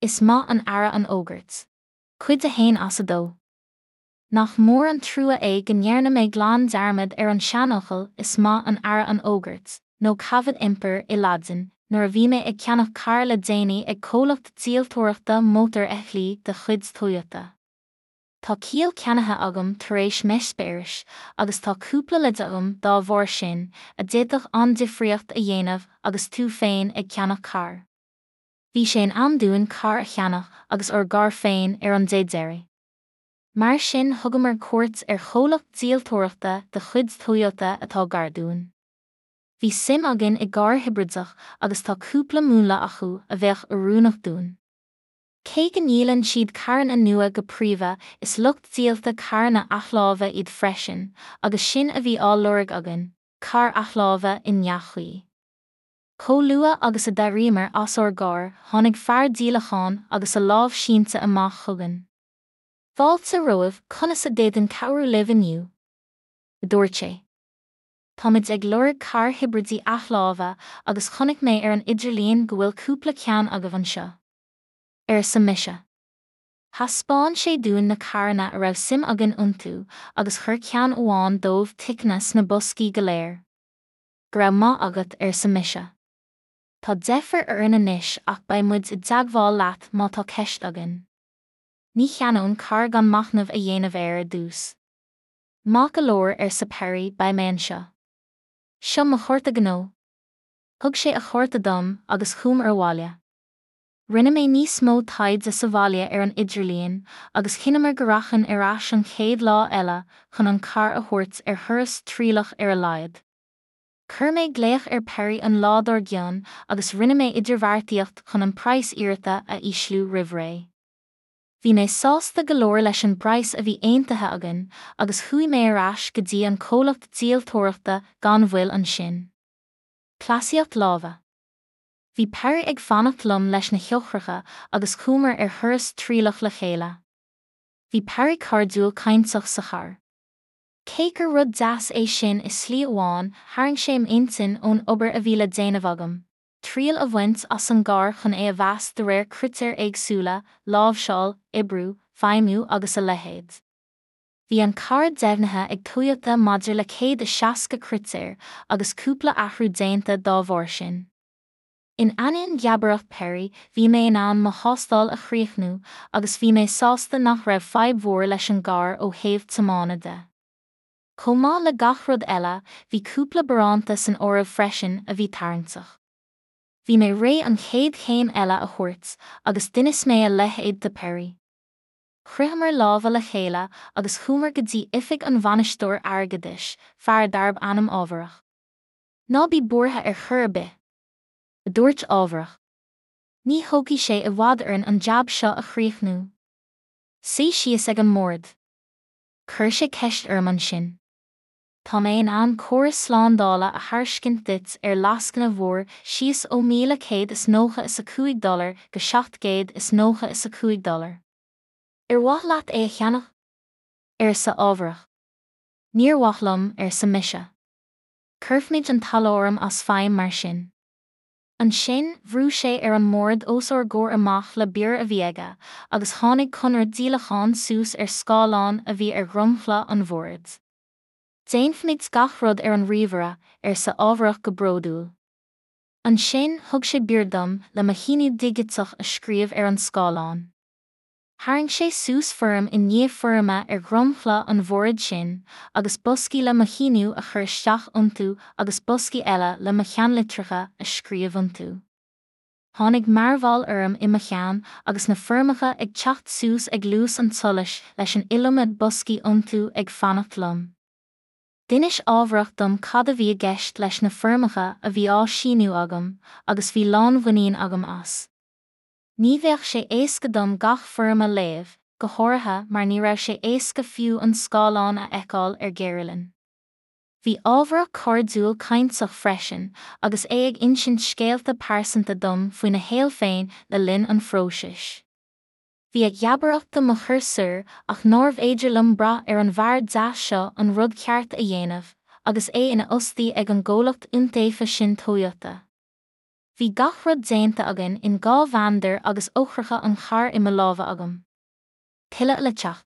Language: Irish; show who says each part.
Speaker 1: Is maith an earra an fhógairt. Cuid 1 as 2. Nach mór an trua é go ndearna mé glan dearmad ar an seanfhocal 'is maith an earra an fhógairt', nó caveat emptor i Laidin, nuair a bhí mé ag ceannach cairr le déanaí ag comhlacht díoltóireachta mótarfheithiclí de chuid Toyota. Tá ciall ceannaithe agam tar éis m'eispéiris, agus tá cúpla leid agam dá bharr sin, a d'fhéadfadh an-difríocht a dhéanamh agus tú féin ag ceannach cairr. Bhí sé in am dúinn carr a cheannach agus ár gcarr féin ar an dé deiridh. Mar sin thugamar cuairt ar chomhlacht díoltóireachta de chuid Toyota atá gar dúinn. Bhí suim againn i gcarr hibrideach agus tá cúpla múnla acu a bheadh oiriúnach dúinn. Cé go ndíolann siad carranna nua go príomha is lucht díolta carranna athláimhe iad freisin agus sin a bhí á lorg againn, carr athláimhe i ndea-chaoi. Chomh luath agus a d'éiríomar as ár gcarr, tháinig fear díolacháin agus a lámh sínte amach chugainn. Fáilte romhaibh, conas a d'fhéadfainn cabhrú libh inniu? a dúirt sé. Táimid ag lorg cairr hibridí athláimhe agus chonaic mé ar an idirlíon go bhfuil cúpla ceann agaibh anseo. Arsa mise. Thaispeáin sé dúinn na carranna a raibh suim againn iontu agus chuir ceann amháin dóibh ticeanna sna boscaí go léir. Go raibh maith agat, arsa mise. Tá deifir orainn anois ach beidh muid i dteagmháil leat má tá ceist againn. Ní cheannóinn carr gan machnamh a dhéanamh air ar dtús. Maith go leor, arsa Perry, beidh mé anseo. Seo mo chárta gnó. Thug sé a chárta dom agus chuamar abhaile. Rinne mé níos mó taighde sa bhaile ar an idirlíon agus chinneamar go rachainn ar ais an chéad lá eile chun an carr a thabhairt ar thuras trialach ar a laghad. Chuir mé glaoch ar Perry an lá dár gcionn agus rinne mé idirbheartaíocht chun an praghas iarrata a ísliú roimh ré. Bhí mé sásta go leor leis an bpraghas a bhí aontaithe againn agus chuaigh mé ar ais go dtí an comhlacht díoltóireachta gan mhoill ansin. Cleasaíocht láimhe. Bhí Perry ag fanacht liom leis na heochracha agus chuamar ar thuras trialach le chéile. Bhí Perry cairdiúil cainteach sa charr. Cé gur rud deas é sin i slí amháin, tharraing sé m'intinn ón obair a bhí le déanamh agam, triail a bhaint as an gcarr chun é a mheas de réir critéir éagsúla, láimhseáil, oibriú, feidhmiú agus a leithéid. Bhí an carr deimhnithe ag Toyota maidir le 160 critéar agus cúpla athrú déanta dá bharr sin. In ainneoin gheabaireacht Perry, bhí mé in ann mo thástáil a chríochnú agus bhí mé sásta nach raibh fadhb mhór leis an gcarr ó thaobh tiomána de. Chomh maith le gach rud eile, bhí cúpla baránta san áireamh freisin a bhí tarraingteach. Bhí mé réidh an chéad chéim eile a thabhairt agus d'inis mé a leithéid do Perry. Chroitheamar lámha le chéile agus chuamar go dtí oifig an bhainisteoir airgeadais, fear darb ainm Ámharach. Ná bí buartha ar chor ar bith! a dúirt Ámharach. Ní thógfaidh sé i bhfad orainn an jab seo a chríochnú. Suigh síos ag an mbord. Chuir sé ceist orm ansin. Tá mé in ann córas slándála a thairiscint duit ar lascaine mhór síos ó $1,195 go $795. Ar mhaith leat é a cheannach? arsa Ámharach. Níor mhaith liom, arsa mise. Cuirfimid an t-aláram as feidhm mar sin. Ansin, bhrú sé ar an mbord os ár gcomhair amach le bior a bhí aige, agus tháinig conradh díolacháin suas ar scáileán a bhí ar dhromchla an bhoird. Déanfaimid gach rud ar an ríomhaire, arsa Ámharach go bródúil. Ansin, thug sé bior dom le mo shíniú digiteach a scríobh ar an scáileán. Tharraing sé suas foirm i ndiaidh foirme ar dhromchla an bhoird sin, agus boscaí le mo shíniú a chur isteach iontu agus boscaí eile le mo cheannlitreacha a scríobh iontu. Tháinig mearbhall orm i mo cheann agus na foirmeacha ag teacht suas ag luas an tsolais leis an iliomad boscaí iontu ag fanacht liom. D'inis Ámharach dom cad a bhí i gceist leis na foirmeacha a bhí á síniú agam agus bhí lánmhuinín agam as. Ní bheadh sé éasca dom gach foirm a léamh, go háirithe mar ní raibh sé éasca fiú an scáileán a fheiceáil ar géaruillinn. Bhí Ámharach cairdiúil cainteach freisin agus é ag insint scéalta pearsanta dom faoina shaol féin le linn an phróisis. Bhí a gheabaireacht do mo chur soir ach nárbh fhéidir liom brath ar an bhfear deas seo an rud ceart a dhéanamh agus é ina fhostaí ag an gcomhlacht iontaofa sin Toyota. Bhí gach rud déanta againn in 2 mheandar agus eochracha an chairr i mo lámha agam. Tuilleadh le teacht.